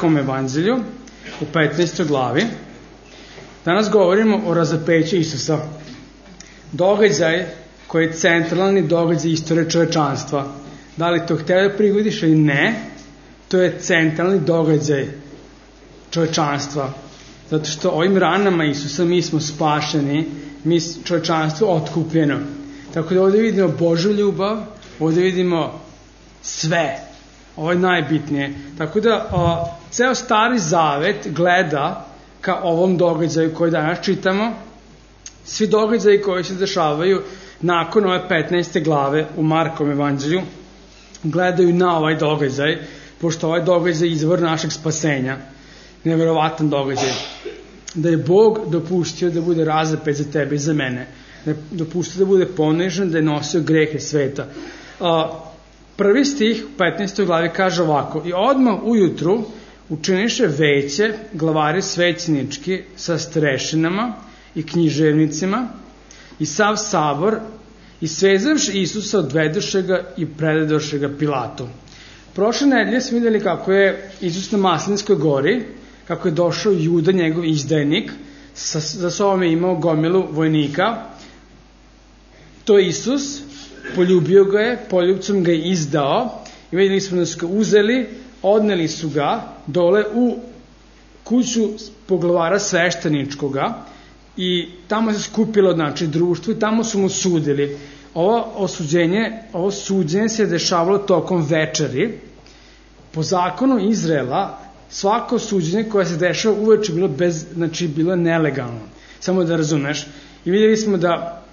Markovom evanđelju u 15. glavi. Danas govorimo o razapeću Isusa. Događaj koji je centralni događaj istorije čovečanstva. Da li to hteo da prigodiš ili ne, to je centralni događaj čovečanstva. Zato što ovim ranama Isusa mi smo spašeni, mi čovečanstvo otkupljeno. Tako da ovdje vidimo Božju ljubav, ovdje vidimo sve. Ovo je najbitnije. Tako da ceo Stari Zavet gleda ka ovom događaju koji danas čitamo. Svi događaji koji se dešavaju nakon ove 15. glave u Markovom evanđelju gledaju na ovaj događaj, pošto ovaj događaj je izvor našeg spasenja. Neverovatan događaj. Da je Bog dopustio da bude razapet za tebe i za mene. Da je dopustio da bude ponižen, da je nosio grehe sveta. Prvi stih u 15. glavi kaže ovako: i odmah ujutru učiniše veće glavari svećenički sa starešinama i književnicima i sav sabor, i svezavši Isusa odvedoše ga i predadoše ga Pilatu. Prošle nedelje smo vidjeli kako je Isus na Maslinskoj gori, kako je došao Juda, njegov izdajnik, za sobom je imao gomilu vojnika. To je Isus, poljubio ga je, poljubcom ga je izdao i vidjeli smo da su ga uzeli, odneli su ga dole u kuću poglavara svešteničkoga i tamo se skupilo društvo i tamo su mu sudili. Ovo suđenje se dešavalo tokom večeri. Po zakonu Izraela svako suđenje koje se dešava uveče bilo nelegalno. Samo da razumeš. I vidjeli smo da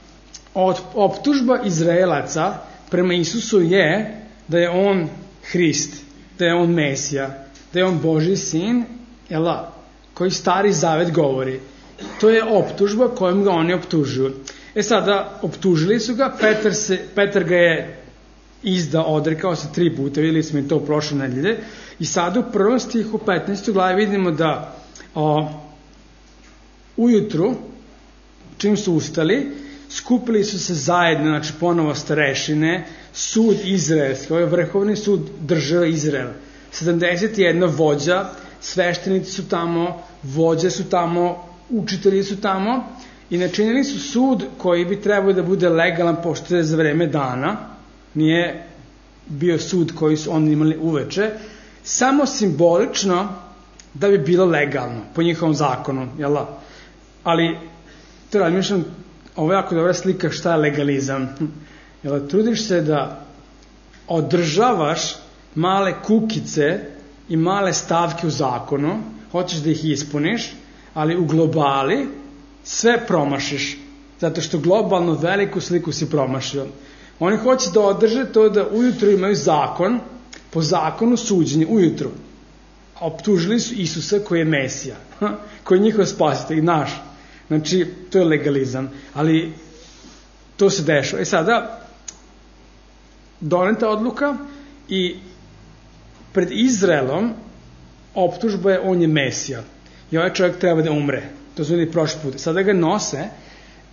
optužba Izraelaca prema Isusu je da je on Hrist, da je on Mesija, da je on Božji sin, koji Stari Zavet govori. To je optužba kojom ga oni optužuju. Sada, optužili su ga, Petar ga je izdao, odrekao se 3 puta, vidjeli smo i to u prošle nedelje, i sada u prvom stihu 15. glavi vidimo da ujutru, čim su ustali, skupili su se zajedno, ponovo starešine, sud izraelski, ovo je vrhovni sud države Izraela. 71 vođa, sveštenici su tamo, vođe su tamo, učitelji su tamo i načinili su sud koji bi trebao da bude legalan, pošto je za vreme dana, nije bio sud koji su oni imali uveče, samo simbolično da bi bilo legalno po njihovom zakonu, ali to razmišljam, ovo je jako dobra slika šta je legalizam. Trudiš se da održavaš male kukice i male stavke u zakonu, hoćeš da ih ispuniš, ali u globali sve promašiš, zato što globalno veliku sliku si promašio. Oni hoće da održe to da ujutro imaju zakon, po zakonu suđenje ujutro. Optužili su Isusa koji je Mesija, koji je njihov spasitelj, naš. To je legalizam, ali to se dešava. Sada, doneta odluka i pred Izraelom optužba je on je Mesija. I ovaj čovjek treba da umre. To su vidjeli prošli put. Sada ga nose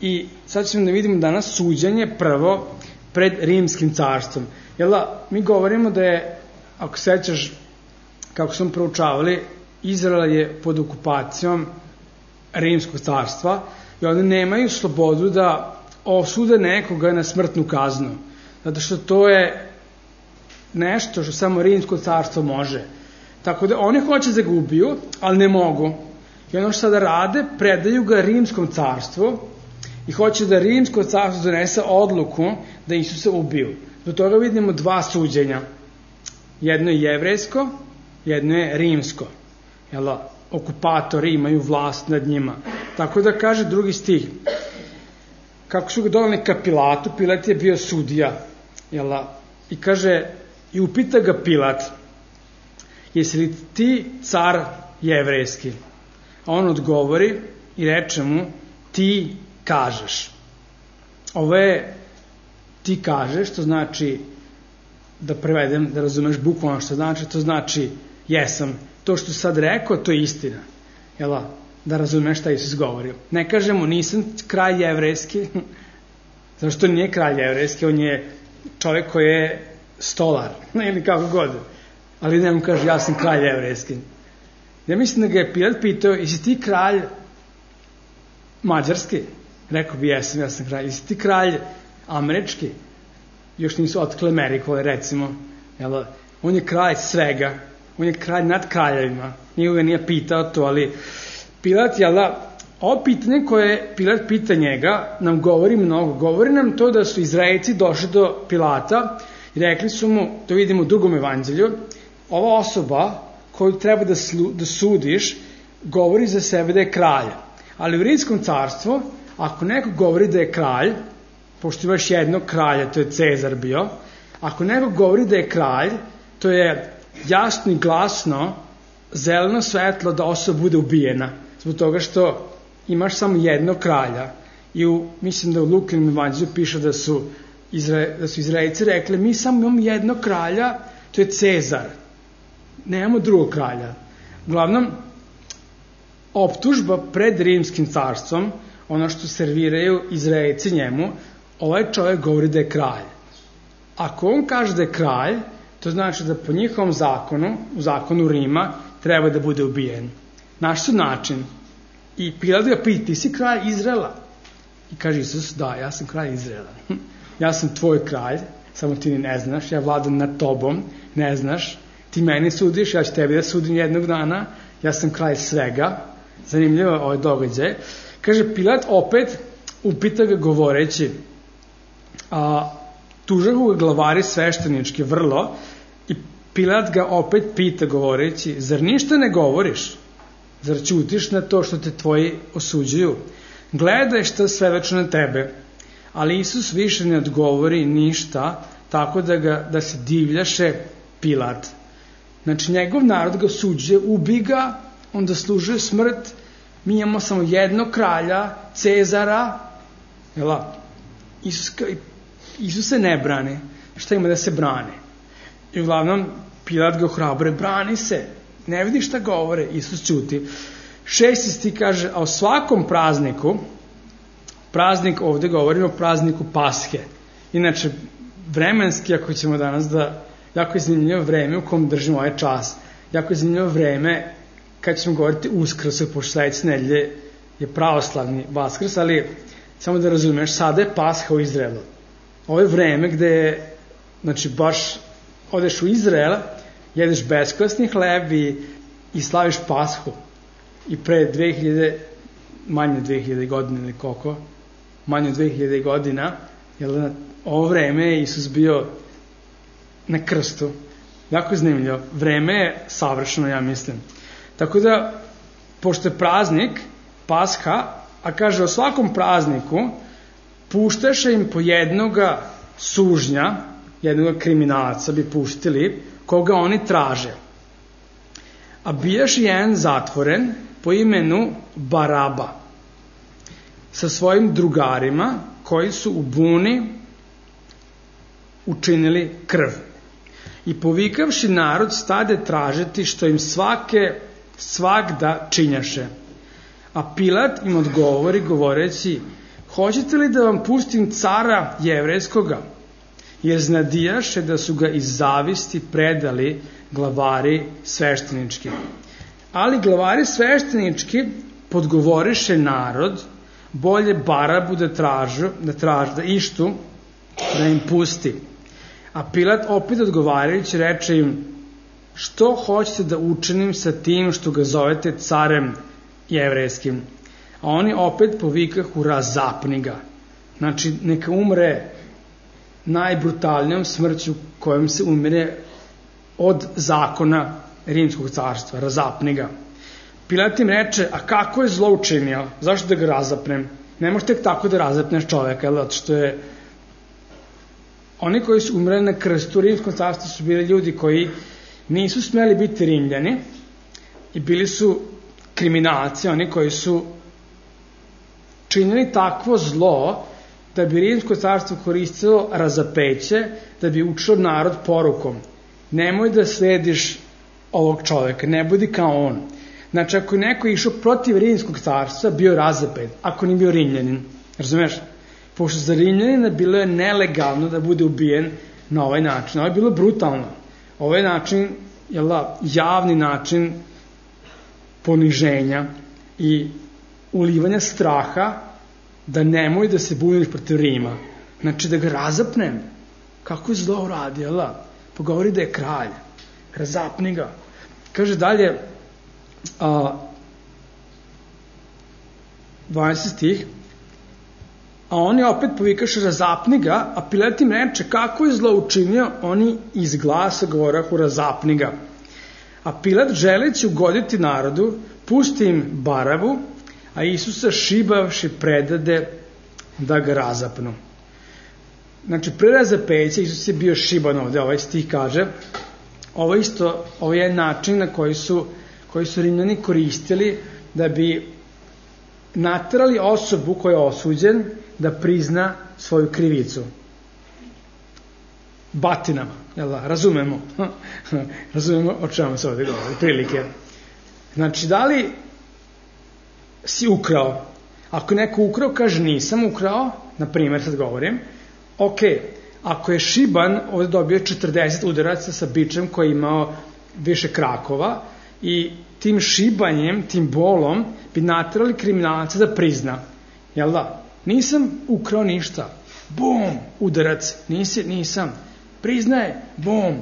i sad ćemo da vidimo danas suđenje prvo pred Rimskim carstvom. Mi govorimo da je, ako sećaš kako smo proučavali, Izrael je pod okupacijom Rimskog carstva i oni nemaju slobodu da osude nekoga na smrtnu kaznu. Zato što to je nešto što samo Rimsko carstvo može. Tako da oni hoće da ga ubiju, ali ne mogu. I ono što sada rade, predaju ga Rimskom carstvu i hoće da Rimsko carstvo donese odluku da Isusa ubiju. Do toga vidimo 2 suđenja. Jedno je jevrejsko, jedno je rimsko. Okupatori imaju vlast nad njima. Tako da kaže drugi stih. Kako su ga doneli ka Pilatu, Pilat je bio sudija. I kaže, i upita ga Pilat, jesi li ti car jevrejski? A on odgovori i reče mu, ti kažeš. Ovo je ti kažeš, to znači, da prevedem, da razumeš bukvalno što znači, to znači jesam. To što sad rekao, to je istina. Da razumeš šta Isus govorio. Ne kažemo nisam kralj jevrejski, zato što nije kralj jevrejski, on je čovjek koji je stolar, ili kako god. Ali ne mu kaže ja sam kralj jevrejski. Ja mislim da ga je Pilat pitao, jesi ti kralj mađarski? Rekao bi, ja sam kralj. Jesi ti kralj američki? Još nisu otkle Ameriku, recimo. On je kralj svega. On je kralj nad kraljevima. Niko ga nije pitao to, ali Pilat, ovo pitanje koje Pilat pita njega nam govori mnogo. Govori nam to da su Izraelci došli do Pilata i rekli su mu, to vidimo u drugom evanđelju, ova osoba koju treba da sudiš govori za sebe da je kralj. Ali u Rimskom carstvu, ako neko govori da je kralj, pošto imaš jednog kralja, to je Cezar bio, ako neko govori da je kralj, to je jasno i glasno zeleno svetlo da osoba bude ubijena. Zbog toga što imaš samo jednog kralja. I mislim da u Lukinom evanđelju piše da su Izraelci rekli, mi samo imamo jednog kralja, to je Cezar. Nemamo drugog kralja. Uglavnom, optužba pred Rimskim carstvom, ono što serviraju Izraelci njemu, ovaj čovjek govori da je kralj. Ako on kaže da je kralj, to znači da po njihovom zakonu, u zakonu Rima, treba da bude ubijen. Naš su način. I Pilat ga pita, ti si kralj Izraela? I kaže Isus, da, ja sam kralj Izraela. Ja sam tvoj kralj, samo ti ne znaš, ja vladam nad tobom, ne znaš, ti meni sudiš, ja ću tebi da sudim jednog dana, ja sam kralj svega. Zanimljivo je ovaj događaj. Kaže, Pilat opet upita ga govoreći, tužahu ga glavari sveštenički vrlo, i Pilat ga opet pita govoreći, zar ništa ne govoriš? Zar ćutiš na to što te tvoji osuđuju? Gledaj šta svedoči na tebe. Ali Isus više ne odgovori ništa, tako da se divljaše Pilat. Znači, njegov narod ga osuđuje, ubi ga, on zaslužuje smrt, mi imamo samo jednog kralja, Cezara, Isus se ne brani. Šta ima da se brani? I uglavnom, Pilat ga ohrabruje, brani se, ne vidi šta govore, Isus ćuti. 6. stih kaže, a o svakom prazniku, praznik ovde govorimo o prazniku Pashe. Inače, vremenski, ako ćemo danas jako je zanimljivo vreme u kom držimo ovaj čas. Jako je zanimljivo vreme kad ćemo govoriti Uskrsu, pošto sledeće nedelje je pravoslavni Vaskrs, ali samo da razumeš, sada je Pasha u Izraelu. Ovo je vreme gde je, znači baš odeš u Izrael, jedeš beskvasni hleb i slaviš Pashu. I pre manje 2000 godina ili koliko, manje 2000 godina, jer ovo vreme je Isus bio na krstu. Jako je zanimljivo. Vreme je savršeno, ja mislim. Tako da, pošto je praznik, Pasha, a kaže o svakom prazniku, puštaše im po jednoga sužnja, jednoga kriminalca bi puštili, koga oni traže. A bijaš jedan zatvoren po imenu Baraba sa svojim drugarima koji su u buni učinili krv. I povikavši narod stade tražiti što im svagda činjaše. A Pilat im odgovori govoreći, hoćete li da vam pustim cara jevrejskoga? Jer znadijaše da su ga iz zavisti predali glavari sveštenički. Ali glavari sveštenički podgovoriše narod, bolje Barabu da ištu, da im pusti. A Pilat opet odgovarajući reče im, što hoćete da učinim sa tim što ga zovete carem jevrejskim? A oni opet povikahu, razapni ga. Znači, neka umre najbrutalnijom smrću kojom se umire od zakona Rimskog carstva, razapni ga. Pilat im reče, a kako je zlo učinio? Zašto da ga razapnem? Ne možeš tek tako da razapneš čoveka, zato što je oni koji su umreli na krstu u Rimskom carstvu su bili ljudi koji nisu smeli biti Rimljani i bili su kriminalci, oni koji su činili takvo zlo da bi Rimsko carstvo koristilo razapeće, da bi učilo narod porukom. Nemoj da slediš ovog čoveka, ne budi kao on. Znači, ako je neko išao protiv Rimskog carstva, bio razapet, ako nije bio Rimljanin. Razumeš? Pošto za Rimljanina bilo je nelegalno da bude ubijen na ovaj način. Ovo je bilo brutalno. Ovaj način, javni način poniženja i ulivanja straha da nemoj da se buniš protiv Rima. Znači da ga razapnem. Kako je zlo uradio, pa govori da je kralj. Razapni ga. Kaže dalje, 20 stih, a oni opet povikaše razapni ga, a Pilat im reče kako je zlo učinio, oni iz glasa govorahu razapni ga. A Pilat želeći ugoditi narodu, pusti im Barabu, a Isusa šibavši predade da ga razapnu. Znači, pre razapeća Isus je bio šiban ovde, ovaj stih kaže. Ovo je način na koji su Rimljani koristili da bi naterali osobu koja je osuđen da prizna svoju krivicu. Batinama, jel da? Razumemo o čemu se ovde govori, prilike. Znači, da li si ukrao? Ako je neko ukrao, kaže nisam ukrao, na primjer sad govorim, ok, ako je šiban, ovdje dobio 40 udaraca sa bičem koji je imao više krakova i tim šibanjem, tim bolom bi naterali kriminalca da prizna. Jel da? Nisam ukrao ništa. Bum, udarac. Nisam. Priznaje, bum.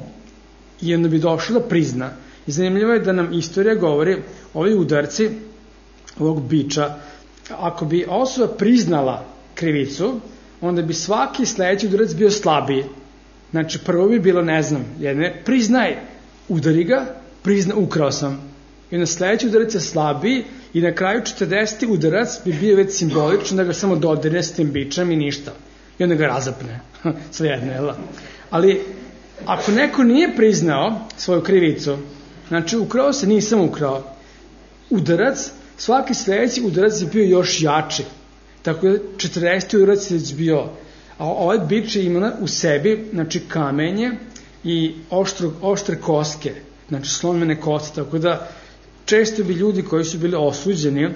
I onda bi došlo da prizna. I zanimljivo je da nam istorija govori, ovi udarci ovog biča, ako bi osoba priznala krivicu, onda bi svaki sledeći udarac bio slabiji. Znači, prvo bi bilo, priznaj, udari ga, priznaj, ukrao sam. I onda sledeći udarac je slabiji i na kraju 40. udarac bi bio već simbolično da ga samo dodirne s tim bičem i ništa. I onda ga razapne. Svejedno, jel? Ali, ako neko nije priznao svoju krivicu, znači, ukrao se, nisam ukrao, udarac, svaki sledeći udarac je bio još jači. Tako da 40. udarac je bio, a ovaj bič je imala u sebi, znači, kamenje i oštre koske, znači, slomljene koste, tako da često bi ljudi koji su bili osuđeni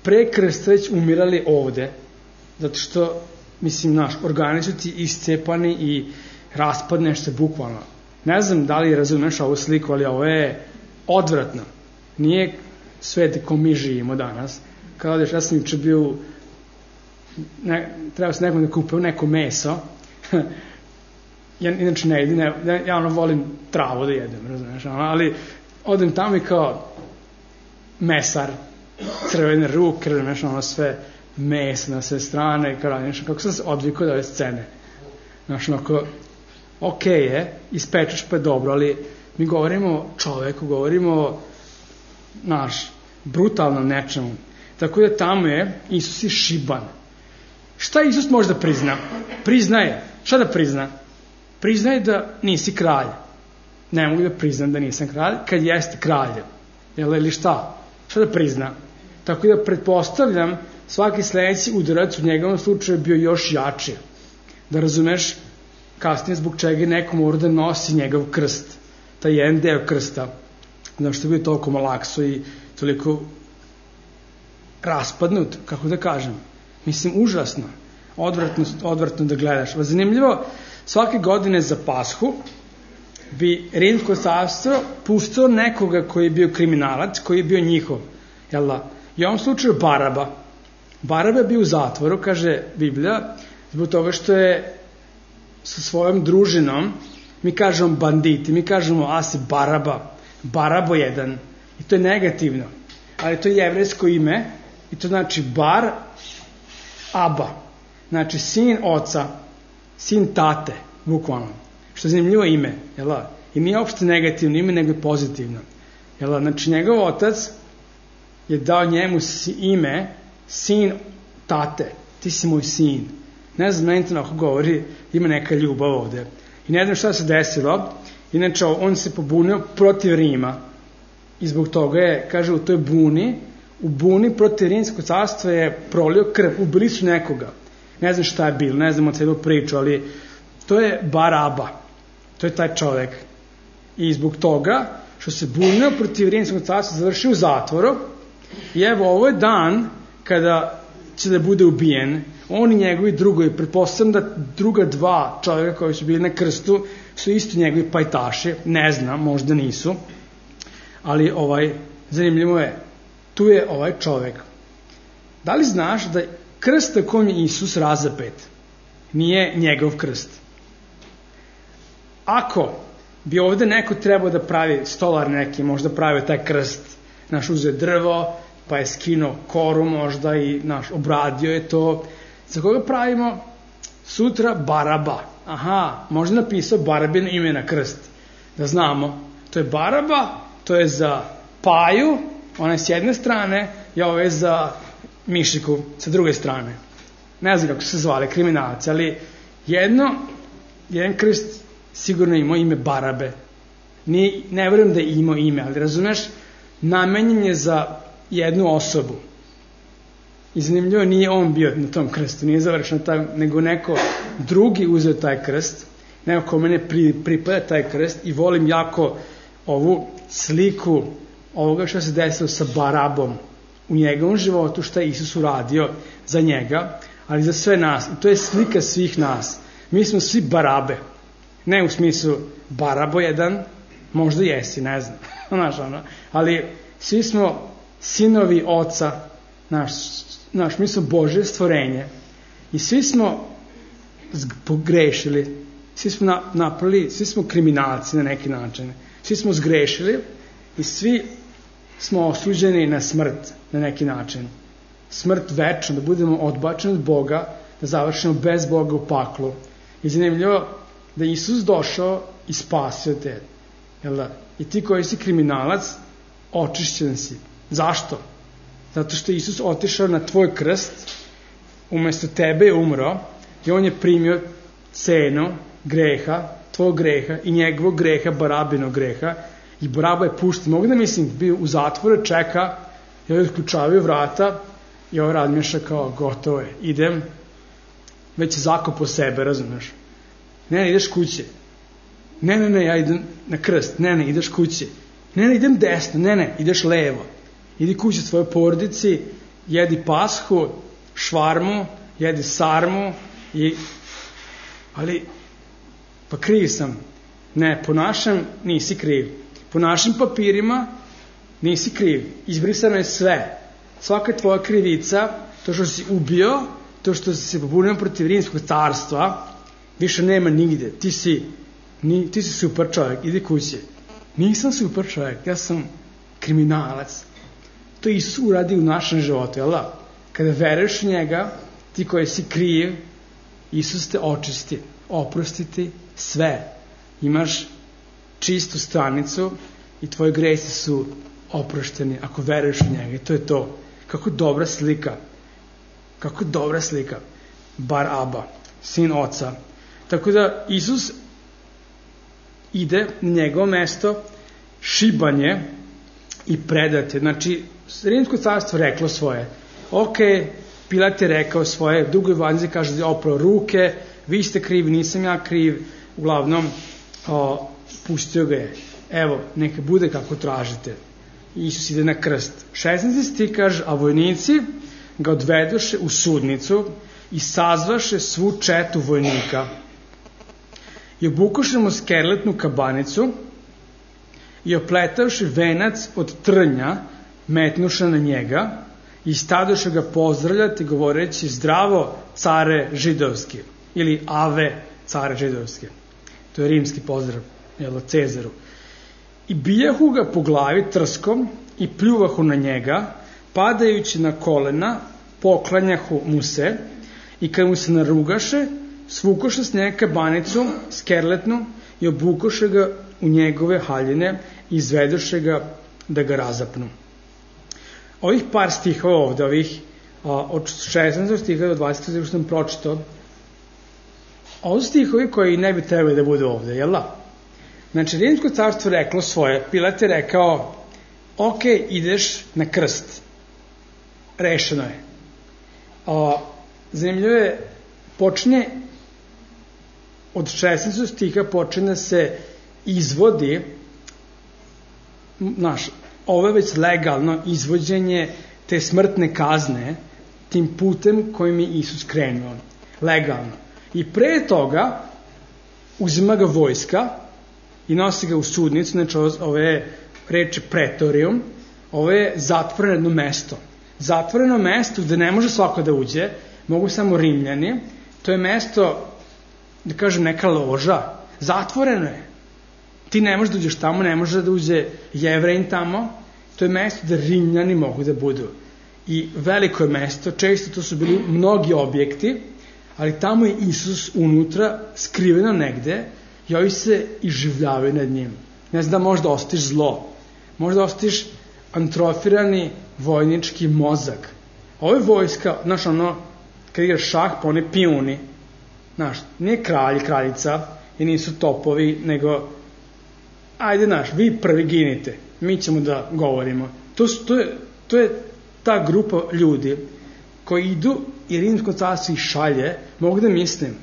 pre krsta već umirali ovde, zato što, organi su ti iscepani i raspadneš se bukvalno. Ne znam da li razumeš ovu sliku, ali ovo je odvratno. Nije svet ko mi živimo danas. Kada odeš, ja sam juče bio, treba se nekom da kupio neko meso, inače ne jedem, ja volim travu da jedem, razumeš, ali odem tamo i kao mesar, crvene ruke, razumeš, sve meso na sve strane, kako sam se odvikao da ove scene. Znaš, ok je, ispečeš pa je dobro, ali mi govorimo o čoveku, govorimo o brutalnom nečemu. Tako da tamo je Isus je šiban. Šta Isus može da prizna? Priznaje. Šta da prizna? Priznaje da nisi kralj. Ne mogu da priznam da nisam kralj, kad jeste kralj. Ili šta? Šta da prizna? Tako da pretpostavljam svaki sledeći udarac u njegovom slučaju bio još jači. Da razumeš kasnije zbog čega neko mora da nosi njegov krst. Taj jedan deo krsta. Znaš što je bio toliko malakso i toliko raspadnut, kako da kažem. Užasno. Odvratno da gledaš. Zanimljivo, svake godine za Pashu bi Rimsko carstvo pustilo nekoga koji je bio kriminalac, koji je bio njihov. Jel da? I u ovom slučaju Baraba. Baraba je bio u zatvoru, kaže Biblija, zbog toga što je sa svojom družinom, mi kažemo banditi, mi kažemo asi Baraba, Barabo jedan. I to je negativno. Ali to je jevrejsko ime i to znači Bar Aba. Znači sin oca, sin tate, bukvalno. Što je zanimljivo ime, jel da? I nije uopšte negativno ime, nego je pozitivno. Jel da? Znači njegov otac je dao njemu ime sin tate. Ti si moj sin. Ne znam, meni to ako govori, ima neka ljubav ovde. I ne znam šta se desilo. Inače, on se pobunio protiv Rima. I zbog toga je, kaže, u toj buni, u buni protiv Rimskog carstva je prolio krv. Ubili su nekoga. Ne znam šta je bilo, ne znam o celu priču, ali to je Baraba. To je taj čovek. I zbog toga, što se bunio protiv Rimskog carstva, završio u zatvoru. I evo, ovo je dan kada će da bude ubijen. On i njegovi drugovi, pretpostavljam da druga dva čovjeka koji su bili na krstu su isto njegovi pajtaši, ne znam, možda nisu, ali zanimljivo je, tu je ovaj čovek. Da li znaš da krst na kojem je Isus razapet nije njegov krst? Ako bi ovde neko trebao da pravi stolar neki, možda pravio taj krst, uzeo drvo, pa je skinuo koru možda i obradio je to. Za koga pravimo sutra? Baraba. Aha, možda napisao Barabino ime na krst. Da znamo, to je Baraba, to je za Paju, ona je s jedne strane, i ovo je za Mišiku sa druge strane. Ne znam kako su se zvali, kriminalci, ali jedan krst sigurno imao ime Barabe. Ne verujem da je imao ime, ali razumeš, namenjen je za jednu osobu. I zanimljivo, nije on bio na tom krstu, nije završeno taj, nego neko drugi uzeo taj krst, neko ko mene pripada taj krst, i volim jako ovu sliku ovoga što se desilo sa Barabom u njegovom životu, što je Isus uradio za njega, ali za sve nas. I to je slika svih nas. Mi smo svi Barabe. Ne u smislu Barabo jedan, možda jesi, ne znam. Ali svi smo sinovi Oca, mi smo Božje stvorenje i svi smo pogrešili, svi smo napravili, svi smo kriminalci na neki način, svi smo zgrešili i svi smo osuđeni na smrt na neki način. Smrt večno, da budemo odbačeni od Boga, da završimo bez Boga u paklu. I zanimljivo da je Isus došao i spasio te. I ti koji si kriminalac, očišćen si. Zašto? Zato što je Isus otišao na tvoj krst, umesto tebe je umro i on je primio cenu greha, tvojeg greha i njegovog greha, Barabinog greha, i Baraba je pušten. Mogu da mislim, bio u zatvoru, čeka, i ovaj otključavaju vrata i ovaj razmišlja kao, gotovo je, idem, već je zakopo sebe, razumeš? Ne, ideš kuće. Ne, ja idem na krst. Ne, ideš kuće. Ne, idem desno. Ne, ideš levo. Idi kuće svojoj porodici, jedi pashu, švarmu, jedi sarmu, ali, pa kriv sam. Ne, po našem nisi kriv. Po našim papirima nisi kriv. Izbrisano je sve. Svaka tvoja krivica, to što si ubio, to što si se pobunio protiv Rimskog carstva, više nema nigde. Ti si super čovjek, idi kuće. Nisam super čovjek, ja sam kriminalac. To Isus uradi u našem životu, jel da? Kada veruješ u njega, ti koji si kriv, Isus te očisti, oprosti ti sve. Imaš čistu stranicu i tvoji gresi su oprošteni ako veruješ u njega. I to je to. Kako dobra slika. Kako dobra slika. Baraba, sin Oca. Tako da Isus ide na njegovo mesto, šibanje i predate. Znači, Rimsko carstvo reklo svoje. Ok, Pilat je rekao svoje, drugo evanđelje kaže da je oprao ruke, vi ste krivi, nisam ja kriv, uglavnom pustio ga je. Evo, neka bude kako tražite. Isus ide na krst. 16. stih kaže, a vojnici ga odvedoše u sudnicu i sazvaše svu četu vojnika i obukoše mu skerletnu kabanicu i opletavši venac od trnja metnuše na njega i stadoše ga pozdravljati govoreći zdravo care židovski ili ave care židovski. To je rimski pozdrav, Cezaru. I bijahu ga po glavi trskom i pljuvahu na njega, padajući na kolena, poklanjahu mu se i kad mu se narugaše, svukoše s njega kabanicu, skerletnu, i obukoše ga u njegove haljine i izvedoše ga da ga razapnu. Ovih par stihova ovde, od 16. stiha do 20. stiha što sam pročitao, ovo su stihovi koji ne bi trebali da budu ovde, jel da? Znači, Rimsko carstvo reklo svoje, Pilat je rekao, ok, ideš na krst. Rešeno je. Zanimljivo je, počinje od 16. stiha počinje da se izvodi, ovo je već legalno izvođenje te smrtne kazne tim putem kojim je Isus krenuo. Legalno. I pre toga uzima ga vojska i nosi ga u sudnicu, znači ove reči pretorijum, Ovo je zatvoreno mesto. Zatvoreno mesto gde ne može svako da uđe, mogu samo Rimljani. To je mesto, da kažem, neka loža. Zatvoreno je. Ti ne možeš da uđeš tamo, ne može da uđe Jevrejin tamo. To je mesto da Rimljani mogu da budu. I veliko je mesto, često to su bili mnogi objekti, ali tamo je Isus unutra, skriveno negde, i ovi se iživljavaju nad njim. Ne znam da možda ostiš zlo, možda ostiš atrofirani vojnički mozak. Ovo je vojska, znaš, ono, kad igraš šah, pa one pijuni, znaš, nije kralj, kraljica, i nisu topovi, nego, ajde, znaš, vi prvi ginite, mi ćemo da govorimo. To je ta grupa ljudi koji idu i Rimsko carstvo ih šalje, mogu da mislim,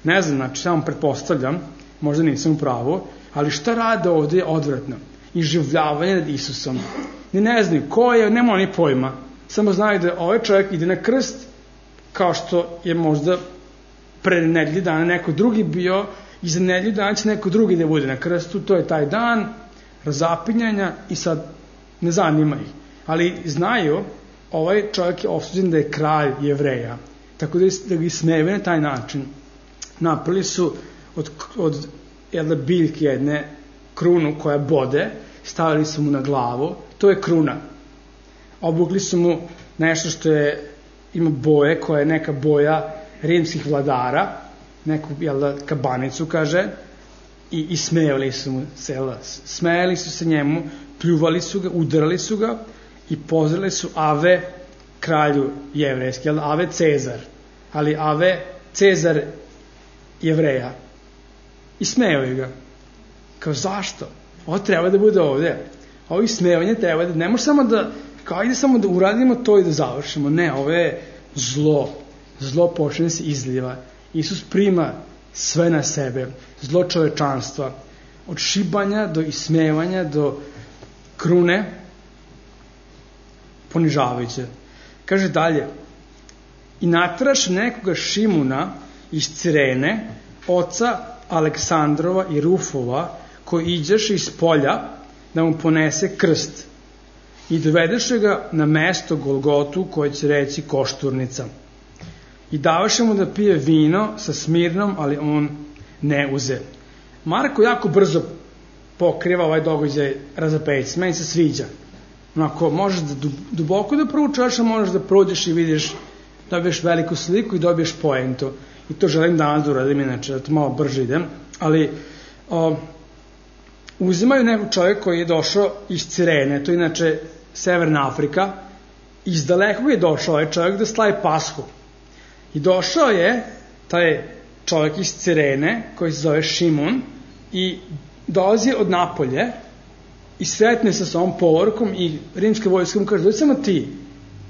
ne znam, znači, samo pretpostavljam, možda nisam u pravu, ali šta rade ovde je odvratno. Iživljavanje nad Isusom. Ne znaju ko je, nema oni pojma. Samo znaju da ovaj čovjek ide na krst, kao što je možda pre nedelju dana neko drugi bio, i za nedelju dana će neko drugi da bude na krstu, to je taj dan razapinjanja i sad ne zanima ih. Ali znaju, ovaj čovjek je osuđen da je kralj Jevreja, tako da ga smeve na taj način. Napravili su od jedne biljke jedne krunu koja bode, stavili su mu na glavu, to je kruna. Obukli su mu nešto što ima boje, koja je neka boja rimskih vladara, neku kabanicu, kaže, i smejali su mu se, smejali su se njemu, pljuvali su ga, udarali su ga i pozreli su Ave kralju jevrejski, Ave Cezar, ali Ave Cezar Jevreja. I smejali ga. Kao, zašto? Ovo treba da bude ovde. Ovo ismevanje treba da, ne može samo da, kao, ajde samo da uradimo to i da završimo. Ne, ovo je zlo. Zlo počne se izliva. Isus prima sve na sebe. Zlo čovečanstva. Od šibanja do ismevanja do krune ponižavajuće. Kaže dalje, i natraš nekoga Šimuna iz Cirene, oca Aleksandrova i Rufova, koji iđeše iz polja da mu ponese krst i dovedeše ga na mesto Golgotu, koje će reći Košturnica. I davaše mu da pije vino sa Smirnom, ali on ne uze. Marko jako brzo pokriva ovaj događaj razapeci. Meni se sviđa. Onako, možeš da duboko da proučaš, a možeš da prođeš i vidiš, dobiješ veliku sliku i dobiješ poentu. I to želim danas da uradim, inače, da to malo brže idem. Ali uzimaju nekog čovjeka koji je došao iz Cirene, to je inače Severna Afrika, iz dalekog je došao ovaj čovjek da slavi Pashu. I došao je taj čovjek iz Cirene, koji se zove Šimun, i dolazi od Napolje i sretne se sa ovom povorkom i rimska vojska mu kaže, dođi samo ti.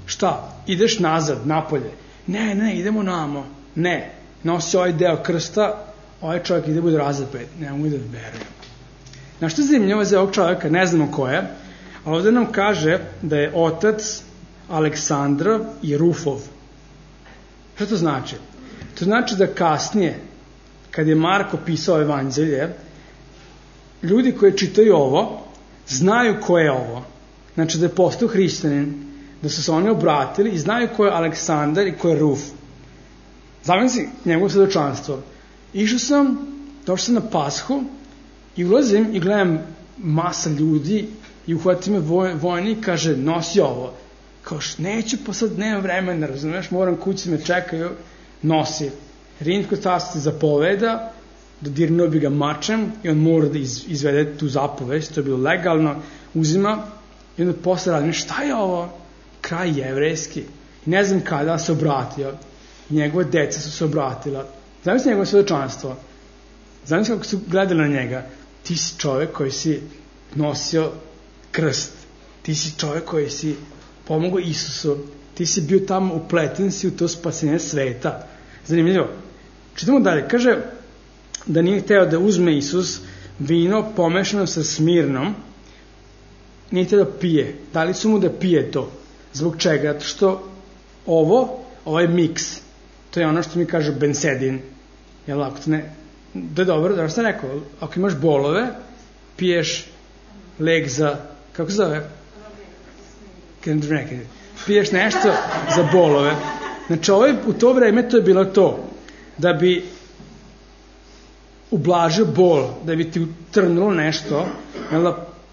Šta? Ideš nazad, Napolje. Ne, idemo namo. Ne, nosi ovaj deo krsta, ovaj čovjek ide bude razapet. Ne mogu da verujem. Na što je zanimljivo za ovog čovjeka, ne znamo ko je, ali ovdje nam kaže da je otac Aleksandra i Rufov. Što to znači? To znači da kasnije, kad je Marko pisao evanđelje, ljudi koji čitaju ovo, znaju ko je ovo. Znači da je postao hrišćanin, da su se oni obratili i znaju ko je Aleksandar i ko je Ruf. Zamisli njegovo svedočanstvo. Došao sam na Pashu i ulazim i gledam masa ljudi i uhvati me vojnik i kaže, nosi ovo. Kao, neću, pa sad nemam vremena, razumeš, moram, kući me čekaju, nosi. Rimsko carstvo se zapoveda, dodirnuo bi ga mačem i on mora da izvede tu zapovest, to je bilo legalno, uzima i onda posle radim, šta je ovo? Kraj jevrejski. I ne znam kada se obratio. I njegove deca su se obratila. Zamisli njegovo svedočanstvo. Zamisli kako su gledali na njega. Ti si čovjek koji si nosio krst. Ti si čovjek koji si pomogao Isusu. Ti si bio tamo, upleten si u to spasenje sveta. Zanimljivo. Čitamo dalje. Kaže da nije hteo da uzme Isus vino pomešano sa Smirnom. Nije hteo da pije. Dali su mu da pije to. Zbog čega? Zato što ovaj miks, to je ono što mi kaže bensedin. Jel, ako to ne... Da je dobro, da sam rekao, ako imaš bolove, piješ lek za, kako se zove? piješ nešto za bolove. Znači, u to vreme to je bilo to, da bi ublažio bol, da bi ti utrnulo nešto,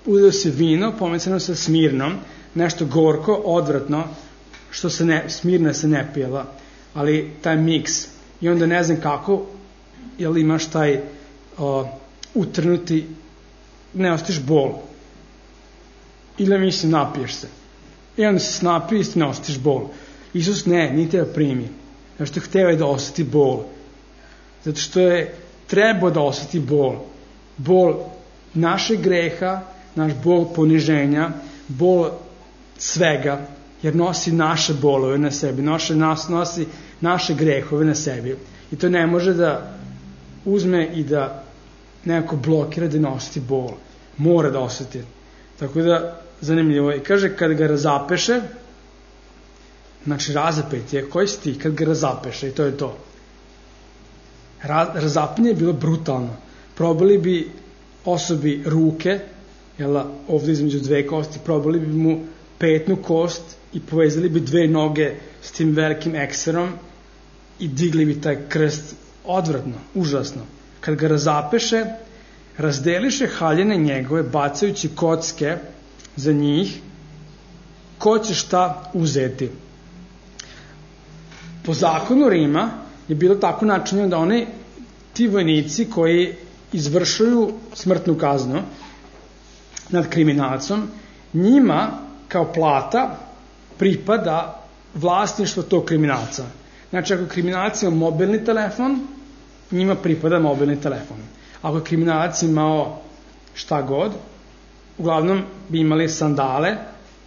uzeo se vino, pomecano sa smirnom, nešto gorko, odvratno, što smirna se ne pijela, ali taj miks. I onda ne znam kako, jel imaš taj utrnuti, ne ostiš bol. Ili mislim, napiješ se. I onda se napije i ne ostiš bol. Isus nije teba primi. Zato što hteo je da osjeti bol. Zato što je trebao da osjeti bol. Bol našeg greha, naš bol poniženja, bol svega, jer nosi naše bolove na sebi, nosi naše grehove na sebi. I to ne može da uzme i da nekako blokira da ne osjeti bol. Mora da osjeti. Tako da, zanimljivo je. Kaže, kad ga razapeše, znači razapet je, koji si ti kad ga razapeše, i to je to. Razapanje je bilo brutalno. Probali bi osobi ruke, ovdje između dve kosti, probali bi mu petnu kost i povezali bi dve noge s tim velikim ekserom i digli bi taj krst. Odvratno, užasno. Kad ga razapeše, razdeliše haljine njegove, bacajući kocke za njih, ko će šta uzeti. Po zakonu Rima je bilo tako načinjeno da ti vojnici koji izvršuju smrtnu kaznu nad kriminalcom, njima kao plata pripada vlasništvo tog kriminalca. Znači, ako kriminalac ima mobilni telefon, njima pripada mobilni telefon. Ako je kriminalac imao šta god, uglavnom bi imali sandale,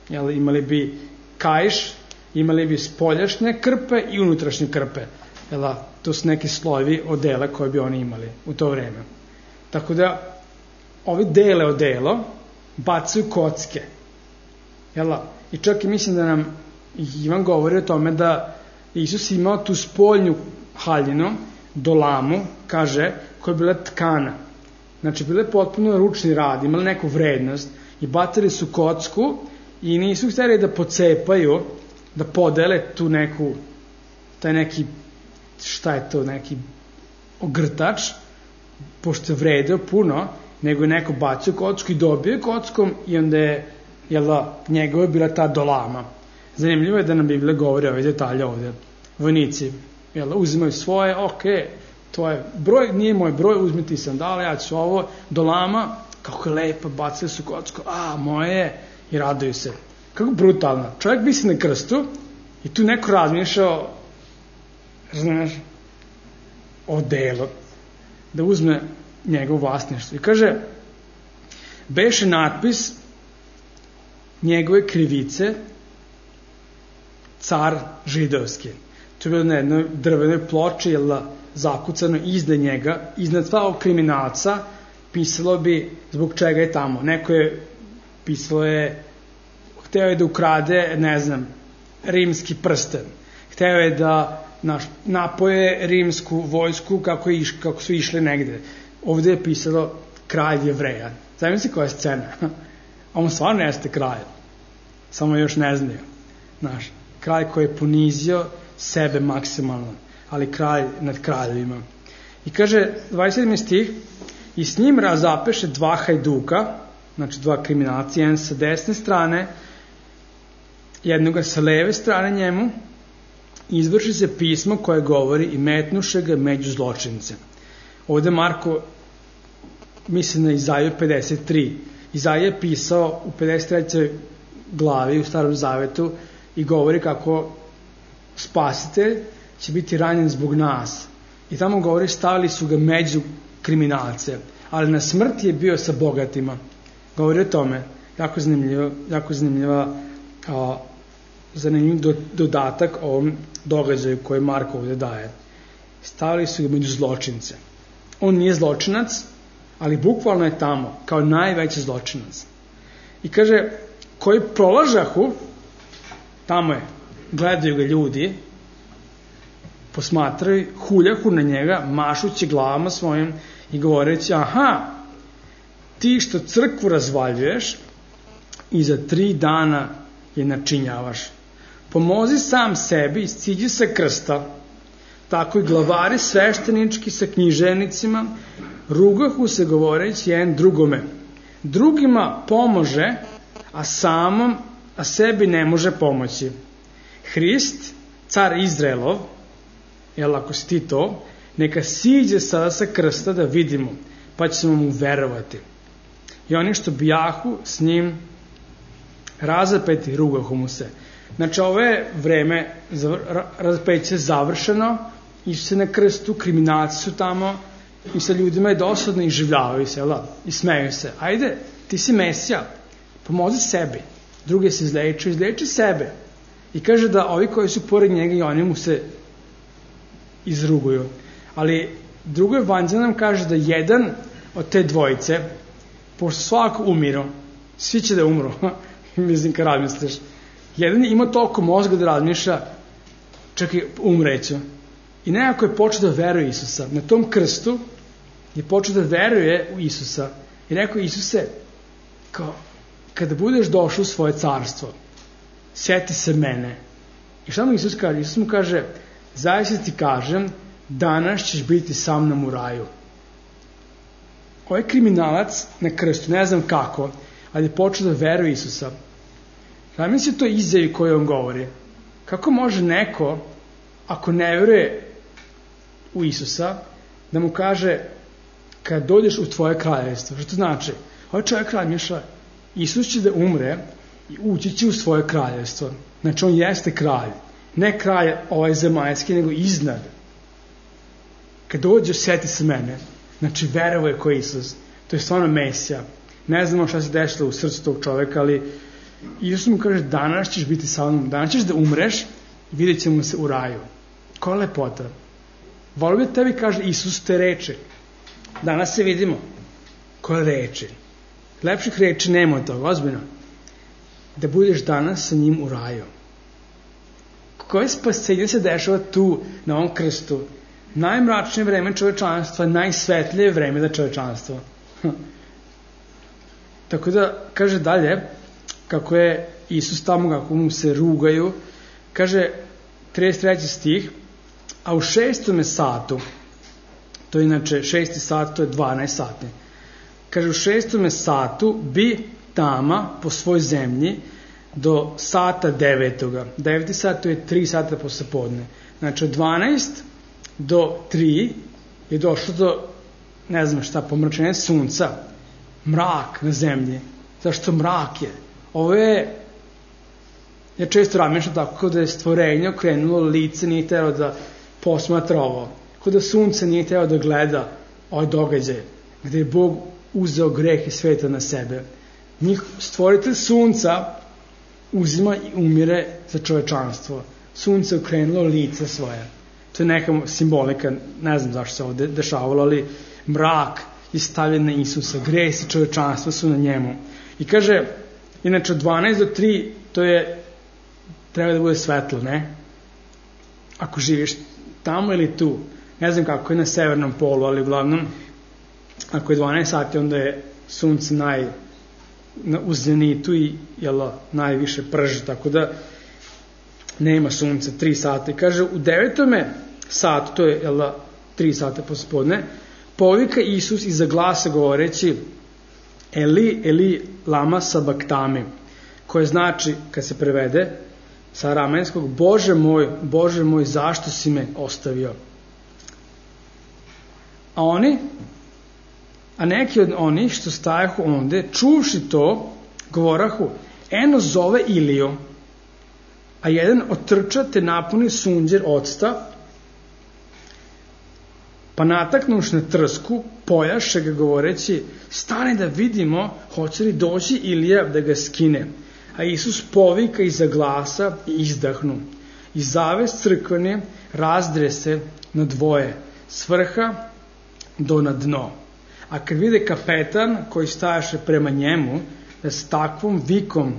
imali bi kaiš, imali bi spoljašnje krpe i unutrašnje krpe. To su neki slojevi odela koje bi oni imali u to vreme. Tako da, ovi dele odelo bacaju kocke. I čak i mislim da nam Ivan govori o tome da Isus imao tu spoljnju haljinu, dolamu, kaže, koja je bila tkana. Znači, bila je potpuno ručni rad, imali neku vrednost i bacili su kocku i nisu htjeli da pocepaju, da podele tu neku, taj neki, šta je to, neki ogrtač, pošto je vredeo puno, nego je neko bacio kocku i dobio kockom i onda je, njegova je bila ta dolama. Zanimljivo je da nam Biblija govori ove detalje ovdje. Vojnici, uzimaju svoje, to je broj, nije moj broj, uzmi ti sandale, ja ću ovo, dolama, kako je lepa, bacili su kocku, moje je, i raduju se. Kako brutalno. Čovjek bi se na krstu i tu neko razmišljao, znaš, o delu, da uzme njegov vlasništvo. I kaže, beše natpis njegove krivice, car židovski. To je bilo na jednoj drvenoj ploči, zakucano iznad njega, iznad svakog kriminalca, pisalo bi zbog čega je tamo. Neko je, pisalo je, hteo je da ukrade, ne znam, rimski prsten. Hteo je da napoje rimsku vojsku kako su išli negde. Ovdje je pisalo kralj Jevreja. Zamisli koja je scena. On stvarno jeste kralj. Samo još ne znaju. Kralj koji je ponizio sebe maksimalno, ali kralj nad kraljevima. I kaže, 27. stih, i s njim razapeše dva hajduka, znači dva kriminalci, jedan sa desne strane, jednoga sa leve strane njemu, izvrši se pismo koje govori i metnuše ga među zločince. Ovdje Marko misli na Izaiju 53. Izaija je pisao u 53. glavi u Starom Zavetu i govori kako spasitelj će biti ranjen zbog nas. I tamo govori, stavili su ga među kriminalce, ali na smrt je bio sa bogatima. Govori o tome, jako zanimljiv dodatak ovom događaju koji Marko ovdje daje. Stavili su ga među zločince. On nije zločinac, ali bukvalno je tamo, kao najveći zločinac. I kaže, koji prolažahu, tamo je, gledaju ga ljudi, posmatraju, huljahu na njega, mašući glavama svojim i govoreći, ti što crkvu razvaljuješ i za 3 dana je načinjavaš. Pomozi sam sebi i siđi sa krsta. Tako i glavari sveštenički sa književnicima rugahu se govoreći jedan drugome. Drugima pomože, a sebi ne može pomoći. Hrist, car Izraelov, jel ako si ti to, neka siđe sada sa krsta da vidimo, pa ćemo mu verovati. I oni što bijahu s njim razapeti rugahu mu se. Znači, ovo je vreme razapeće završeno, išli se na krstu, kriminalci su tamo i sa ljudima je dosadno i življavaju se, i smeju se. Ajde, ti si Mesija, pomozi sebi. Druge se izleči sebe. I kaže da ovi koji su pored njega i oni mu se izruguju. Ali drugo evanđelje nam kaže da jedan od te dvojice, pošto svako umiru, svi će da umru, mislim kad razmisliš, jedan je imao toliko mozga da razmišlja, čekaj, umreću. I nekako je počeo da veruje Isusa. Na tom krstu je počeo da veruje u Isusa. I rekao, Isuse, kao, kada budeš došao u svoje carstvo, sjeti se mene. I šta mu Isus kaže? Isus mu kaže, zaista ti kažem, danas ćeš biti sa mnom u raju. Ovaj kriminalac na krstu, ne znam kako, ali je počeo da veruje Isusa. Zamisli to izjavi koju on govori. Kako može neko, ako ne veruje u Isusa, da mu kaže, kad dođeš u tvoje kraljevstvo, što to znači? Ovaj čovjek razmišlja, Isus će da umre i ući će u svoje kraljevstvo. Znači, on jeste kralj. Ne kralj ovaj zemaljski, nego iznad. Kad dođe, sjeti se mene. Znači, verovo je ko Isus. To je stvarno Mesija. Ne znamo šta se dešlo u srcu tog čovjeka, ali Isus mu kaže, danas ćeš biti sa mnom, danas ćeš da umreš i vidjet ćemo se u raju. Koja lepota. Volio bi tebi, kaže, Isus te reči. Danas se vidimo. Koje reči. Lepših reči nema od toga, ozbiljno. Da budeš danas sa njim u raju. Koje spasenje se dešava tu, na ovom krstu? Najmračnije vreme čovečanstva, najsvetlije vreme za čovečanstvo. Tako da, kaže dalje, kako je Isus tamo, kako mu se rugaju, kaže 33. stih, a u 6. satu, to je inače 6. sat, to je 12 sati, kaže u 6. satu bi tama po svoj zemlji do sata 9. 9. sat, to je 3 sata posle podne. Znači od 12 do 3 je došlo do, ne znam šta, pomračenja sunca, mrak na zemlji. Zašto mrak je? Ovo je, ja često razmišljam tako, kao da je stvorenje okrenulo lice, nije teo da posmatra ovo. Kao da sunce nije teo da gleda ovaj događaj, gde je Bog uzeo greh i sveta na sebe. Stvoritelj sunca uzima i umire za čovečanstvo. Sunce je okrenulo lice svoje. To je neka simbolika, ne znam zašto se ovo dešavalo, ali mrak je stavljen na Isusa, gresi čovečanstva su na njemu. I kaže, inače od 12 do 3, to je, treba da bude svetlo, ne? Ako živiš tamo ili tu, ne znam kako je na severnom polu, ali uglavnom, ako je 12 sati, onda je sunce u zenitu i najviše prži, tako da nema sunca 3 sata. I kaže, u 9. satu, to je 3 sata pospodne, povika Isus iza glasa govoreći Eli, Eli, lama sabaktami, koje znači, kad se prevede sa aramejskog, Bože moj, zašto si me ostavio? A neki od onih što stajahu onde, čuvši to, govorahu, eno zove Iliju, a jedan otrča te napuni sunđer octa, pa nataknuš na trsku, pojaše ga govoreći, stani da vidimo, hoće li doći Ilija da ga skine. A Isus povika iza glasa i izdahnu. I zaves crkvene razdre se na dvoje, s vrha do na dno. A kad vide kapetan koji stajaše prema njemu, da s takvom vikom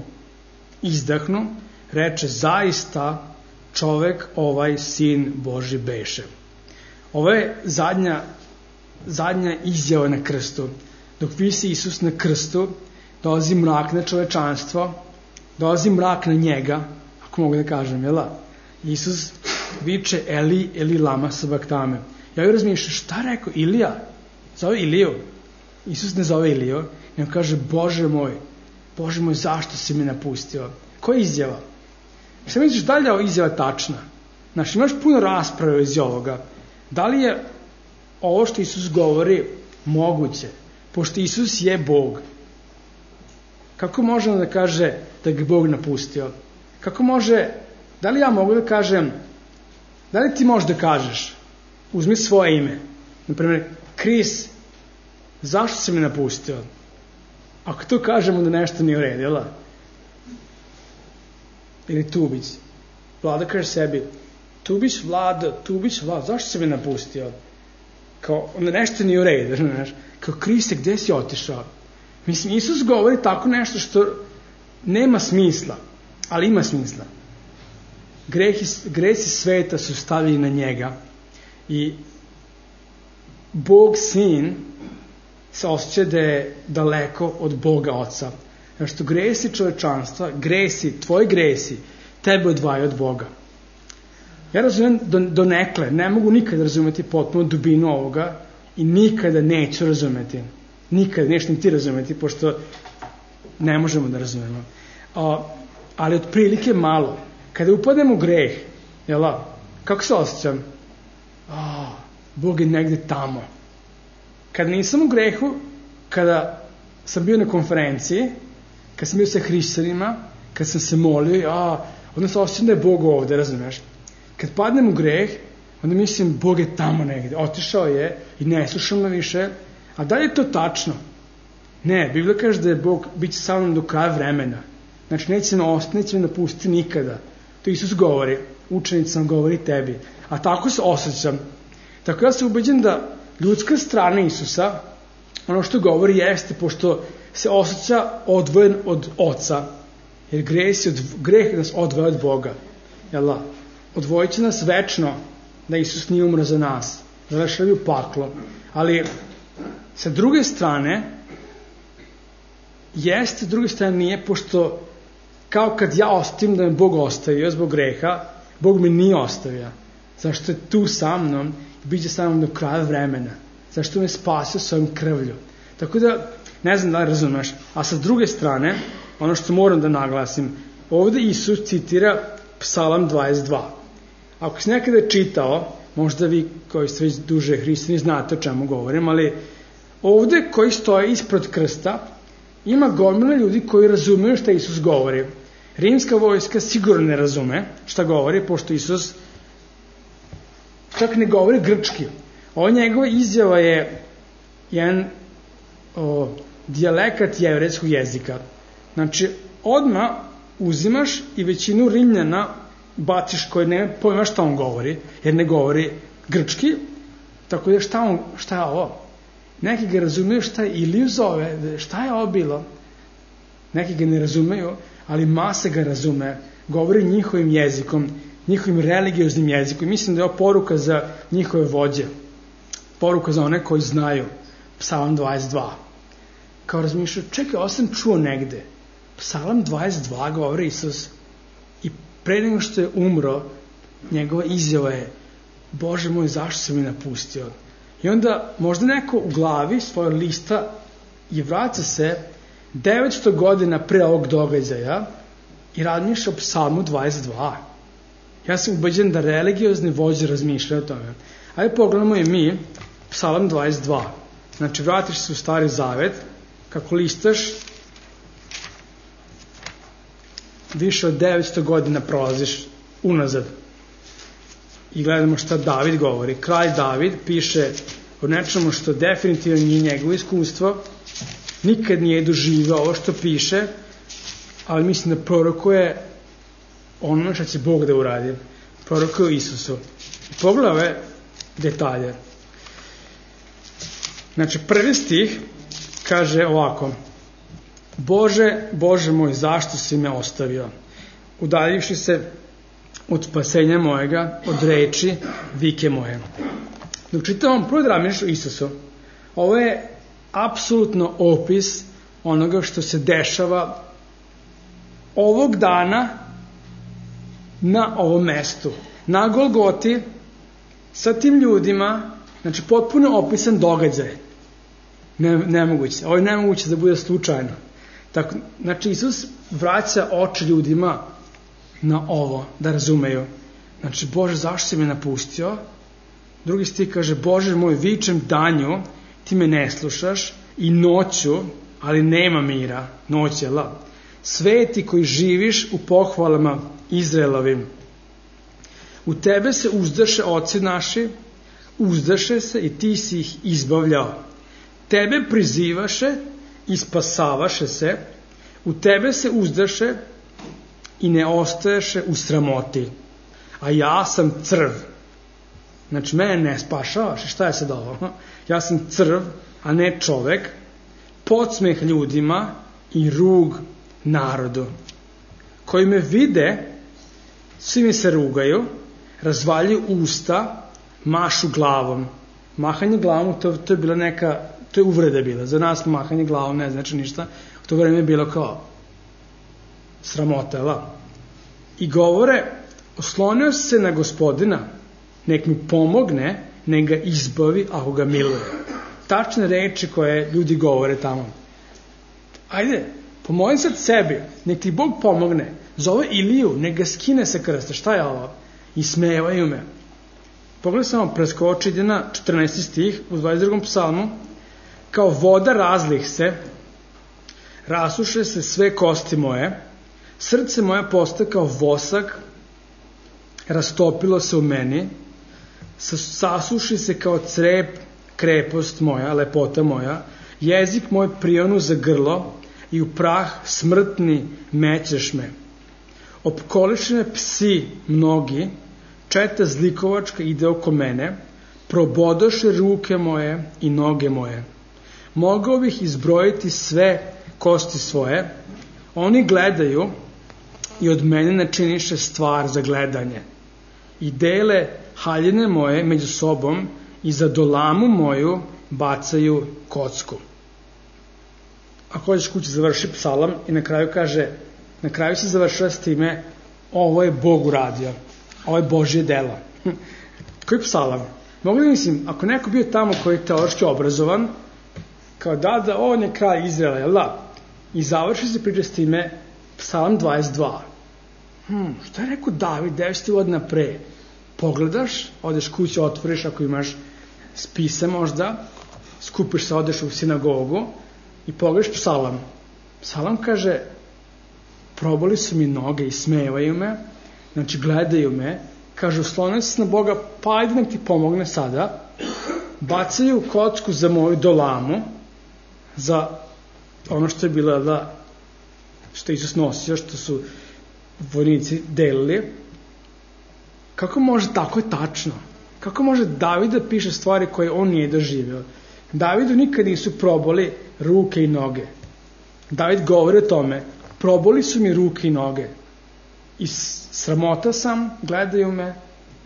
izdahnu, reče, zaista čovek ovaj sin Boži beše. Ovo je zadnja izjava na krstu. Dok visi Isus na krstu, dolazi mrak na čovečanstvo dolazi mrak na njega, ako mogu da kažem, jel da? Isus viče Eli, Eli lama sabaktame. Ja joj razmišljam, šta rekao Ilija? Zove Iliju. Isus ne zove Iliju, nego kaže, Bože moj, zašto si me napustio? Koja je izjava? Šta misliš, da li je izjava tačna? Znači, imaš puno rasprave iz ovoga. Da li je ovo što Isus govori moguće? Pošto Isus je Bog. Kako možemo da kaže da ga Bog napustio? Kako može, da li ja mogu da kažem, da li ti možeš da kažeš, uzmi svoje ime, naprimjer, Kris, zašto si me napustio? Ako to kažemo da nešto nije u redu, jel da? Ili Tubić. Vlada kaže sebi, Tubić, Vlada, zašto si me napustio? Kao, onda nešto nije u redu, znaš? Kao, Kriste, gde si otišao? Mislim, Isus govori tako nešto što nema smisla, ali ima smisla. Gresi sveta su stavili na njega i Bog Sin se osjeća da je daleko od Boga Oca. Znači što gresi čovečanstva, tvoji gresi, tebe odvajaju od Boga. Ja razumijem donekle, ne mogu nikada razumeti potpuno dubinu ovoga i nikada neću razumeti. Nikada, nešto ti razumeti, pošto ne možemo da razumemo. Ali otprilike malo. Kada upadnem u greh, kako se osjećam? Bog je negde tamo. Kada nisam u grehu, kada sam bio na konferenciji, kada sam bio sa hrišćanima, kada sam se molio, onda se osjećam da je Bog ovde, razumeš? Kad padnem u greh, onda mislim Bog je tamo negde, otišao je i ne slušam me više. A da li je to tačno? Ne, Biblija kaže da je Bog bit će sa mnom do kraja vremena. Znači neće me ostati, neće me napustiti nikada. To Isus govori, učenica govori tebi. A tako se osjećam. Tako ja sam ubeđen da ljudska strana Isusa, ono što govori jeste, pošto se osjeća odvojen od Oca, jer greh nas odvoja od Boga. Jel' odvojit će nas večno da Isus nije umro za nas, završili u paklo. Ali sa druge strane, sa druge strane nije, pošto kao kad ja ostavim da me Bog ostavio zbog greha, Bog me nije ostavio. Zašto je tu sa mnom i bit će sa mnom do kraja vremena. Zašto me spasio svojom krvlju. Tako da, ne znam da li razumeš, a sa druge strane, ono što moram da naglasim, ovde Isus citira Psalam 22. Ako si nekada čitao, možda vi koji ste već duže hrišćani znate o čemu govorim, ali ovde koji stoje ispred krsta ima gomila ljudi koji razumeju šta Isus govori. Rimska vojska sigurno ne razume šta govori, pošto Isus čak ne govori grčki. Ovo njegova izjava je jedan dijalekat jevrejskog jezika. Znači, odmah uzimaš i većinu Rimljana baciš koji ne pojma šta on govori, jer ne govori grčki, tako da šta je ovo? Neki ga razumeju šta je Iliju zove, šta je ovo bilo? Neki ga ne razumeju, ali masa ga razume, govori njihovim jezikom, njihovim religioznim jezikom. Mislim da je ovo poruka za njihove vođe, poruka za one koji znaju, Psalam 22. Kao razmišljaju, čekaj, ovo sam čuo negde, Psalam 22 govori Isus i pre nego što je umro, njegova izjava je, Bože moj, zašto si mi napustio? I onda možda neko u glavi svoje lista i vraća se 900 godina pre ovog događaja i razmišlja o Psalmu 22. Ja sam ubeđen da religiozni vođe razmišljaju o tome. Ajde pogledamo i mi Psalam 22. Znači vratiš se u Stari Zavet, kako listaš, više od 900 godina prolaziš unazad. I gledamo šta David govori. Kralj David piše o nečemu što definitivno nije njegovo iskustvo, nikad nije doživio ovo što piše, ali mislim da prorokuje ono što će Bog da uradi. Prorokuje Isusu. I pogledaj ove detalje. Znači, prvi stih kaže ovako: Bože, Bože moj, zašto si me ostavio? Udaljivši se od spasenja mojega, od reči vike moje. Dok čitamo prvo da razmišljaš o Isusu, ovo je apsolutno opis onoga što se dešava ovog dana na ovom mestu, na Golgoti, sa tim ljudima, znači potpuno opisan događaj. Nemoguće. Ovo je nemoguće da bude slučajno. Tako, znači Isus vraća oči ljudima na ovo, da razumeju. Znači, Bože, zašto si me napustio? Drugi stih kaže, Bože moj, vičem danju, ti me ne slušaš, i noću, ali nema mira, noć je la. Sveti koji živiš u pohvalama Izraelovim. U tebe se uzdaše oci naši, uzdaše se i ti si ih izbavljao. Tebe prizivaše i spasavaše se, u tebe se uzdaše i ne ostaješe u sramoti. A ja sam crv. Znači, mene ne spašavaš. Šta je sad ovo? Ja sam crv, a ne čovek, podsmeh ljudima i rug narodu. Koji me vide, svi mi se rugaju, razvaljuju usta, mašu glavom. Mahanje glavom, to je bila neka, to je uvreda bila. Za nas mahanje glavom ne znači ništa. U to vreme je bilo kao sramota, I govore, oslonio se na Gospodina, nek mi pomogne, nek ga izbavi ako ga miluje. Tačne reči koje ljudi govore tamo. Ajde, pomoli sad sebi, nek ti Bog pomogne, zove Iliju, nek ga skine sa krsta. Šta je ovo? I smejevaju me. Pogledaj samo, preskoči, ide na 14. stih u 22. psalmu. Kao voda razlih se, rasuše se sve kosti moje, srce moje postaje kao vosak, rastopilo se u meni, sasuši se kao crep, krepost moja, lepota moja, jezik moj prionu za grlo i u prah smrtni mećeš me. Opkoliše me psi mnogi, četa zlikovačka ide oko mene, probodoše ruke moje i noge moje. Mogao bih izbrojiti sve kosti svoje, oni gledaju i od mene načiniše stvar za gledanje. I dele haljine moje među sobom i za dolamu moju bacaju kocku. Ako hoćeš kući završi psalam i na kraju kaže, na kraju se završava s time, ovo je Bog uradio, ovo je Božje delo. Koji psalam? Mogu li mislim, ako neko bio tamo koji je teološki obrazovan, kao da on je kralj Izraela, jel da? I završi se priča s time psalam 22. Šta je rekao David 10 godina pre? Pogledaš, odeš kući, otvoriš ako imaš spise možda, skupiš se, odeš u sinagogu i pogledaš psalam. Psalam kaže, proboli su mi noge i smevaju me, znači gledaju me, kaže, oslonio se na Boga, pa ajde nek ti pomogne sada, bacaju kocku za moju dolamu, za ono što je bilo da, što je Isus nosio, što su vojnici delili. Kako može, tako je tačno. Kako može David da piše stvari koje on nije doživio? Davidu nikad nisu proboli ruke i noge. David govori o tome, proboli su mi ruke i noge. I sramota sam, gledaju me,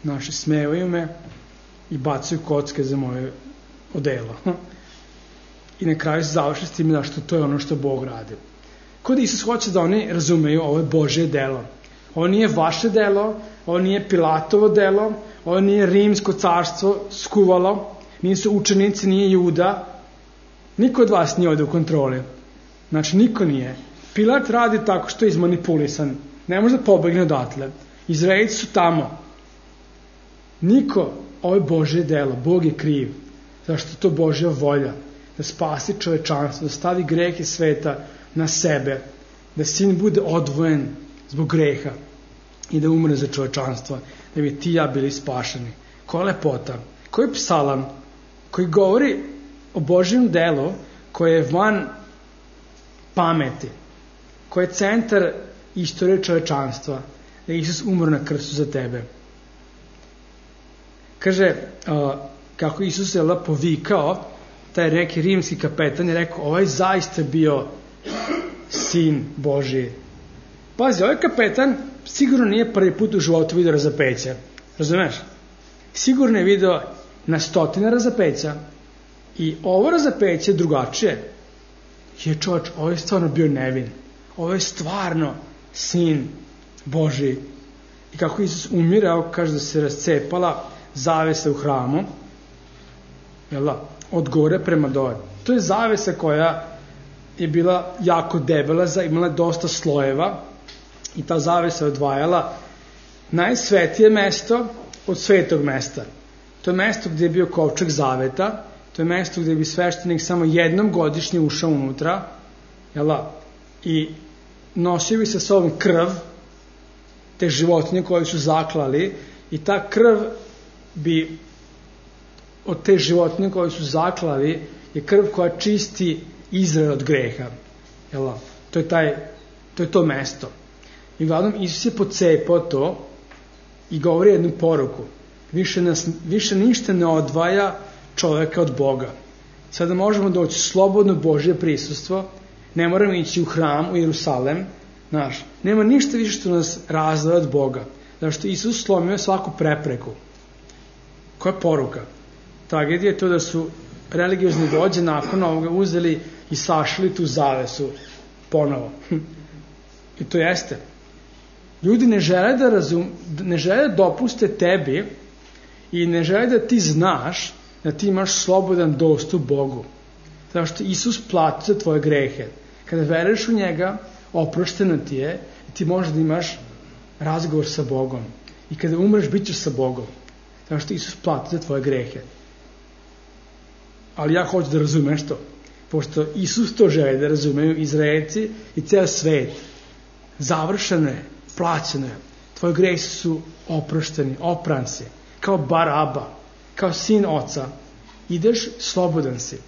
naši smevaju me i bacaju kocke za moje odelo. I na kraju se završi s tim da što to je ono što Bog radi. Kod Isus hoće da oni razumeju ovo je Božje delo. Ovo nije vaše delo, ovo nije Pilatovo delo, ovo nije rimsko carstvo skuvalo, nisu učenici, nije Juda. Niko od vas nije ovdje u kontroli. Znači, niko nije. Pilat radi tako što je izmanipulisan. Ne može da pobegne odatle. Izraelci su tamo. Niko, ovo je Božje delo. Bog je kriv. Zašto je to Božja volja? Da spasi čovečanstvo, da stavi grehe sveta na sebe, da sin bude odvojen zbog greha i da umre za čovečanstvo, da bi ti i ja bili spašeni. Koja lepota, koji psalam koji govori o Božjem delu koje je van pameti, koje je centar istorije čovečanstva, da je Isus umro na krstu za tebe. Kaže, kako Isus je povikao, taj neki rimski kapetan je rekao, ovaj zaista bio sin Božji. Pazi, ovaj kapetan sigurno nije prvi put u životu vidio razapeća. Razumeš? Sigurno je vidio na stotine razapeća i ovo razapeće je drugačije. Je čovječ, ovo je stvarno bio nevin. Ovo je stvarno Sin Božji. I kako Isus umirao, kaže da se rascepala zavesa u hramu, od gore prema dole. To je zavesa koja je bila jako debela, imala dosta slojeva i ta zavesa odvajala najsvetije mesto od svetog mesta. To je mesto gdje je bio kovčeg zaveta, to je mesto gdje bi sveštenik samo jednom godišnje ušao unutra, i nosio bi sa sobom krv te životinje koje su zaklali, i ta krv bi od te životinje koje su zaklali je krv koja čisti Izrael od greha. To je to mesto. I uglavnom Isus je pocepao to i govori jednu poruku. Više ništa ne odvaja čoveka od Boga. Sada možemo doći slobodno Božje prisustvo, ne moramo ići u hram, u Jerusalem, nema ništa više što nas razdvaja od Boga. Zato što Isus slomio svaku prepreku. Koja je poruka? Tragedija je to da su religiozni vođe nakon ovoga uzeli i sašli tu zavesu ponovo. I to jeste. Ljudi ne žele da dopuste tebi i ne žele da ti znaš da ti imaš slobodan dostup Bogu. Zato što Isus plati za tvoje grehe. Kada veruješ u njega, oprošteno ti je i ti možeš da imaš razgovor sa Bogom. I kada umreš, bit ćeš sa Bogom. Zato što Isus plati za tvoje grehe. Ali ja hoću da razumeš to. Pošto Isus to želi da razumeju Izraelci i ceo svet. Završeno je, plaćeno je. Tvoji grehi su oprošteni, opran si. Kao Baraba, kao sin oca. Ideš, slobodan si.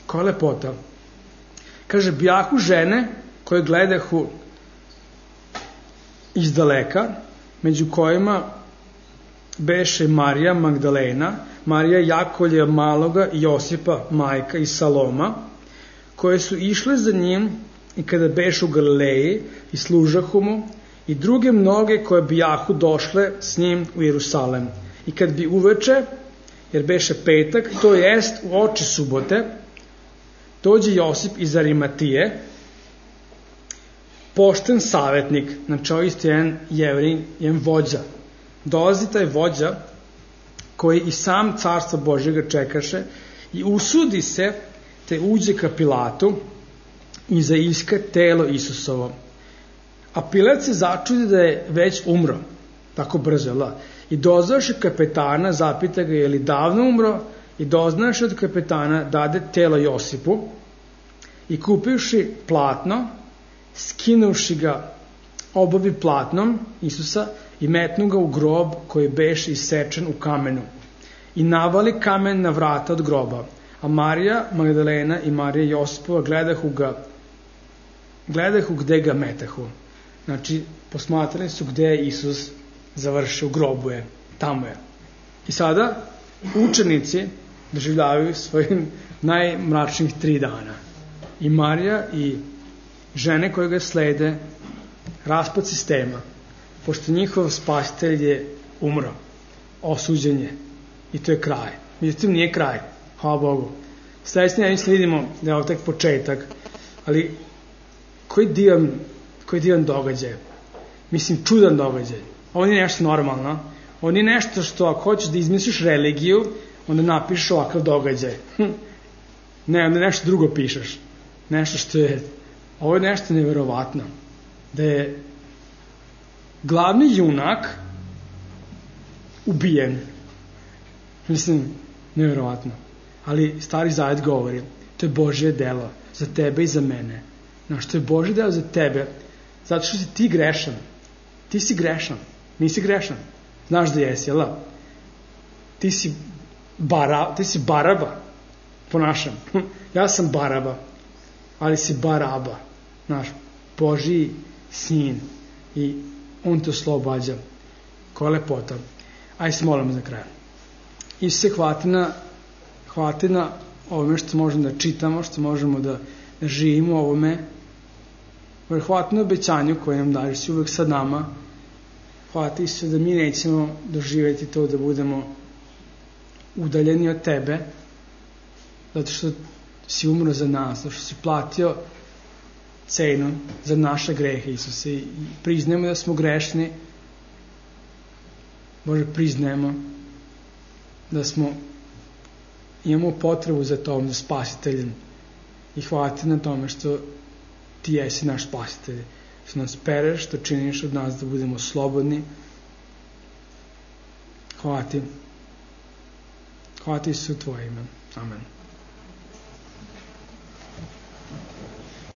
Koja lepota. Kaže, bijahu žene koje gledahu iz daleka, među kojima beše Marija Magdalena, Marija Jakolja Maloga i Josipa, majka i Saloma, koje su išle za njim i kada beše u Galileji i služahu mu, i druge mnoge koje bijahu došle s njim u Jerusalem. I kad bi uveče, jer beše petak, to jest u oči subote, dođe Josip iz Arimatije, pošten savjetnik, znači ovo isto jedan Jevrin, jedan vođa. Dolazi taj vođa koji i sam carstva Božjega čekaše i usudi se te uđe ka Pilatu i zaiska telo Isusovo. A Pilat se začudi da je već umro, tako brzo, i dozvaše kapetana, zapita ga je li davno umro, i doznaše od kapetana dade telo Josipu i kupivši platno, skinuvši ga obavi platnom Isusa i metnu ga u grob koji beše isečen u kamenu i navali kamen na vrata od groba. A Marija Magdalena i Marija Josipova gledahu gde ga metahu. Znači, posmatrali su gde je Isus završio, u grobu je, tamo je. I sada učenici doživljavaju svojim najmračnijih 3 dana. I Marija i žene koje ga slede, raspad sistema, pošto njihov spasitelj je umro, osuđen je, i to je kraj. Međutim, nije kraj, hvala Bogu. Sledeći nedelje vidimo da je ovo tek početak, ali koji divan događaj. Mislim, čudan događaj. Ovo nije nešto normalno. Ovo nije nešto što ako hoćeš da izmisliš religiju, onda napišeš ovakav događaj. Ne, onda nešto drugo pišeš. Nešto što je... Ovo je nešto neverovatno. Da je glavni junak ubijen. Mislim, neverovatno. Ali Stari Zavet govori, to je Božje delo za tebe i za mene. Znaš, to je Božje delo za tebe, zato što si ti grešan. Ti si grešan. Nisi grešan. Znaš da jesi, jel? Ti si Baraba, po našem. Ja sam Baraba, ali si Baraba. Znaš, Božji sin. I on te oslobađa. Koja lepota. Ajde se molimo za kraj. Isus se hvati na ovome što možemo da čitamo, što možemo da živimo ovome. Hvati na obećanju koje nam daješ, si uvek sa nama. Hvati se da mi nećemo doživjeti to da budemo udaljeni od tebe, zato što si umro za nas, zato što si platio cenu za naše grehe, Isuse, i priznajemo da smo grešni. Bože, priznajemo da imamo potrebu za tom, za spasiteljem, i hvala ti na tome što ti jesi naš spasitelj, što nas pereš, što činiš od nas da budemo slobodni. Hvala ti. Hvala ti, Isus, u tvoje ime. Amen.